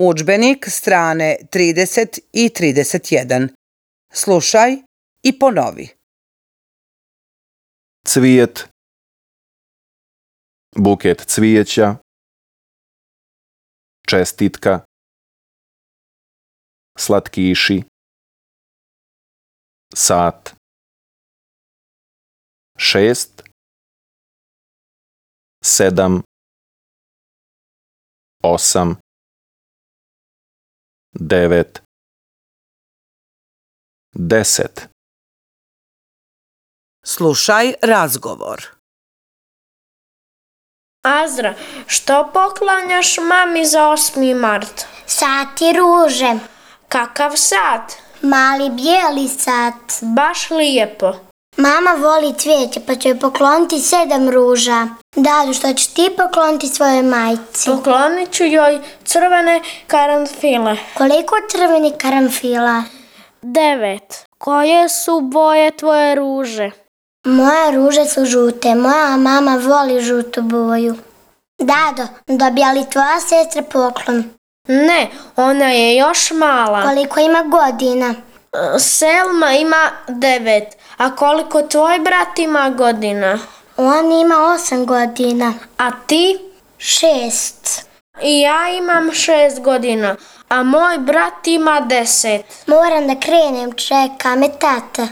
Udžbenik strane 30 i 31. Slušaj i ponovi. Cvijet, buket cvijeća, čestitka, slatkiši, sat, 6, 7, 8, 9, 10. Slušaj razgovor. Azra, što poklanjaš mami za 8. mart? Sat i ruže. Kakav sat? Mali bijeli sat. Baš lijepo. Mama voli cvijeće pa će joj pokloniti 7 ruža. Dadu, što ćeš ti pokloniti svojoj majci? Poklonit ću joj crvene karanfile. Koliko crvenih karanfila? 9. Koje su boje tvoje ruže? Moje ruže su žute. Moja mama voli žutu boju. Dado, dobija li tvoja sestra poklon? Ne, ona je još mala. Koliko ima godina? Selma ima 9. A koliko tvoj brat ima godina? On ima 8 godina. A ti? 6. I ja imam 6 godina, a moj brat ima 10. Moram da krenem, čeka me tata.